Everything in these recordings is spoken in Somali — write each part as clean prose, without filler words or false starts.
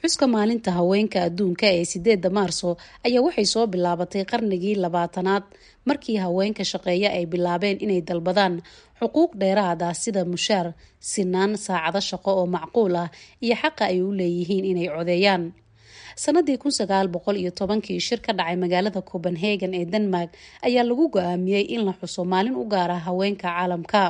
Xuska maalinta haweenka adduunka ee 8-da Maarso ayaa waxay soo bilaabatay qarnigii 20aad, markii haweenka shaqeeya ay bilaabeen inay dalbadaan xuquuq dheeraad ah, sida mushaar sinaan, saacado shaqo oo macquul ah iyo xaqa ay u leeyihiin inay codeeyaan. Sanadii 1910-kii, shir ka dhacay magaalada Copenhagen ee Denmark ayaa lagu go-aamiyey in la xuso maalin u gaar ah haweenka caalamka.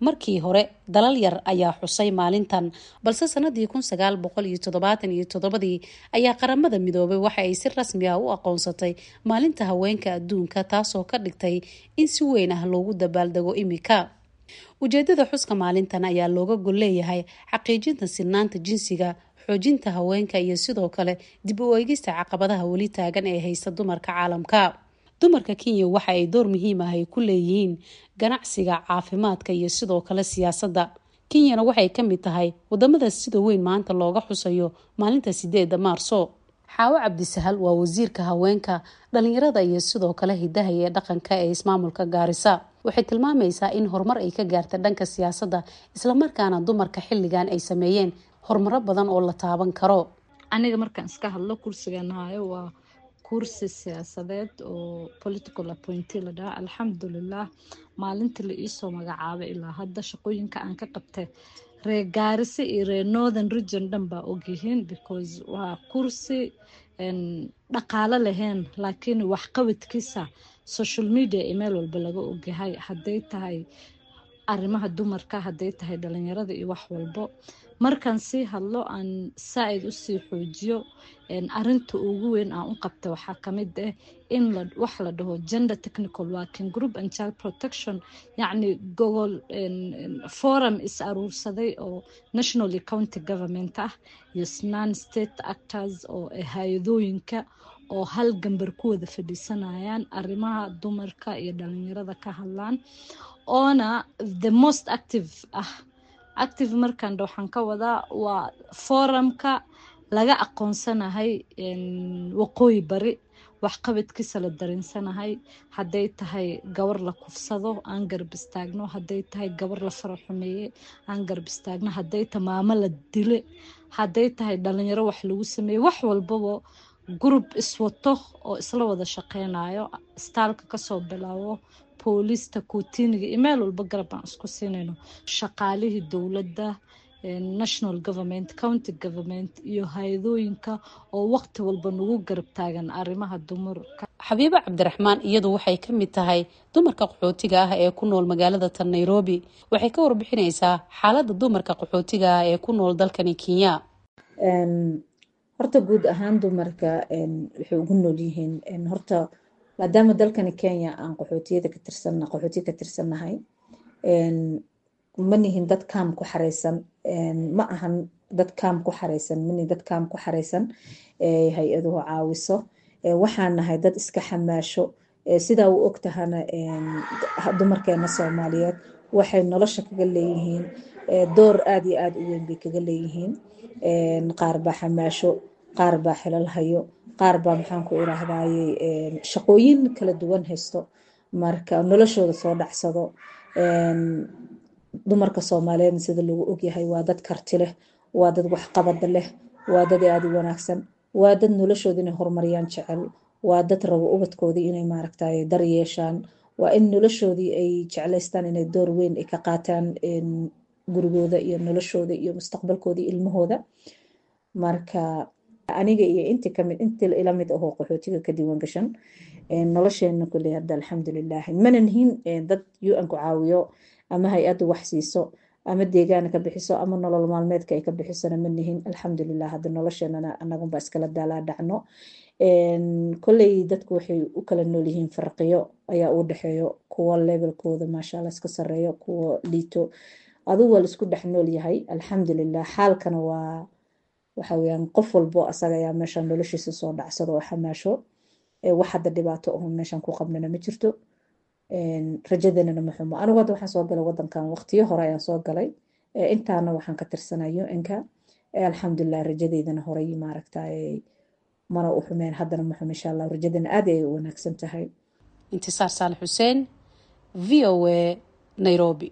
Markii hore dalal yar ayaa xusay maalintan, balse sanadii 1977-dii ayaa Qaramada Midoobay waxa ay si rasmi ah u aqoonsatay maalinta haweenka adduunka, taasoo ka dhigtay in si weyn ah loogu dabaaldego imika. Ujeedada xuska maalintan ayaa looga gol leeyahay xaqiijinta sinaanta jinsiga, xoojinta haweenka iyo sidoo kale dib u eegista caqabadaha weli taagan ee haysta dumarka caalamka. Dumarka Kenya waxa ay door muhiim ah ay ku leeyihiin ganacsiga, caafimaadka iyo sidoo kale siyaasadda. Kenyana waxay ka mid tahay wadamada sida weyn maanta looga xusayo maalinta 8-da Maarso. Xaawo Cabdisahal waa wasiirka haweenka, dhalinyarada iyo sidoo kale hidaha iyo dhaqanka ee ismaamulka Gaarisa. Waxay tilmaamaysaa in horumar ay ka gaartay dhanka siyaasadda, islamarkaana dumarka xilligan ay sameeyeen horumaro badan oo la taaban karo. Aniga markaan iska hadlo, kursigan hayo waa kursi siyaasadeed oo political appointee la dhaha. Alxamdulilah, maalintii la iisoo magacaabay ilaa hadda shaqooyinka aan ka qabtay, reer Gaarisa iyo reer Northern Region dhan baa ogyihiin, because waa kursi dhaqaalo lahayn, laakiin waxqabadkiisa social media iyo meel walba laga ogyahay, hadday tahay arrimaha dumarka, hadday tahay dhalinyarada iyo wax walbo. Markaan sii hadlo, aan saa-id usii xoojiyo, arinta ugu weyn aan u qabtay waxaa kamid ah in wax la dhaho Gender Technical Working Group and Child Protection, yacni gogol forum is aruursaday oo national iyo county government ah iyo non state actors oo hay-adooyinka oo hal gambar ku wada fadhiisanayaan, arrimaha dumarka iyo dhalinyarada ka hadlaan, oona the most active ah. Active markaan waxaan ka wadaa waa forumka laga aqoonsanahay Waqooyi Bari, waxqabadkiisa la dareensanahay. Hadday tahay gabar la kufsado, aan garab istaagno. Hadday tahay gabar la faraxumeeye, aan garab istaagno. Hadday tahay maamo la dile, hadday tahay dhalinyaro wax lagu sameeye, wax walbaba group iswato oo isla wada shaqeynayo, istaalka kasoo bilaabo, booliista, kootiniga iyo meel walba garab aan isku siinayno. Shaqaalihii dowladda, national government, county government iyo hay-adooyinka oo waqti walba nagu garab taagan arrimaha dumarka. Xabiibo Cabdiraxmaan iyadu waxay ka mid tahay dumarka qaxootiga ah ee ku nool magaalada tan Nairobi. Waxay ka warbixinaysaa xaaladda dumarka qaxootiga ah ee ku nool dalkani Kenya. Horta guud ahaan dumarka waxay ugu nool yihiin, horta maadaama dalkani Kenya aan qaxootiyada ka tirsan, qaxootiya ka tirsannahay, ma nihin dad kaam ku xareysan. Ma ahan dad kaam ku xareysan, ma nihin dad kaam ku xareysan hay-aduhu caawiso. Waxaan nahay dad iska xamaasho. Sidaa u og tahana, dumarkeena Soomaaliyeed waxay nolosha kaga leeyihiin door aada iyo aada u weyn bay kaga leeyihiin. Qaar baa xamaasho, qaar baa xilal hayo, qaar baa, maxaan ku iraahdayey, shaqooyin kala duwan haysto, marka noloshooda soo dhacsado. Dumarka Soomaaliyeedna sida lagu ogyahay waa dad karti leh, waa dad waxqabada leh, waa dad aada u wanaagsan, waa dad noloshooda inay horumariyaan jecel, waa dad rabo ubadkoodii inay, maaragtay, dar yeeshaan, waa in noloshoodii ay jeclaystaan inay door weyn ay ka qaataan gurigooda iyo noloshooda iyo mustaqbalkooda iyo ilmahooda. Marka aniga iyo inti kamid, inti ila mid ahoo qaxootiga ka diiwan gashan, nolosheena kuley hadda alxamdulilah, mana nihin dad UN ku caawiyo ama hay-addu wax siiso ama deegaana ka bixiso ama nolol maalmeedka ay ka bixisona ma nihin. Alxamdulilah, hadda nolosheenana anagunba iskala daalaa dhacno. Koley dadku waxay u kala nool yihiin, farqiyo ayaa u dhexeeyo, kuwa levelkooda maasha Allah iska sareeyo, kuwa liito, adigu waa laisku dhex nool yahay, alxamdulilah. Xaalkana waa waxa weyaan qof walbo asaga ayaa meeshan noloshiisa soo dhacsado oo xamaasho. Wax hadda dhibaato aho meeshan ku qabnana ma jirto, rajadanana ma xumo. Anigu hadda waxaan soo galay wadankan waqtiyo hore ayaan soo galay, intaana waxaan ka tirsanayo inka, alxamdulilah, rajadeydana horay, maaragtay, mana u xumeen, haddana ma xumo, insha Allah, rajadana aad ay u wanaagsan tahay. Intisaar Saalax Xuseen, VOA, Nairobi.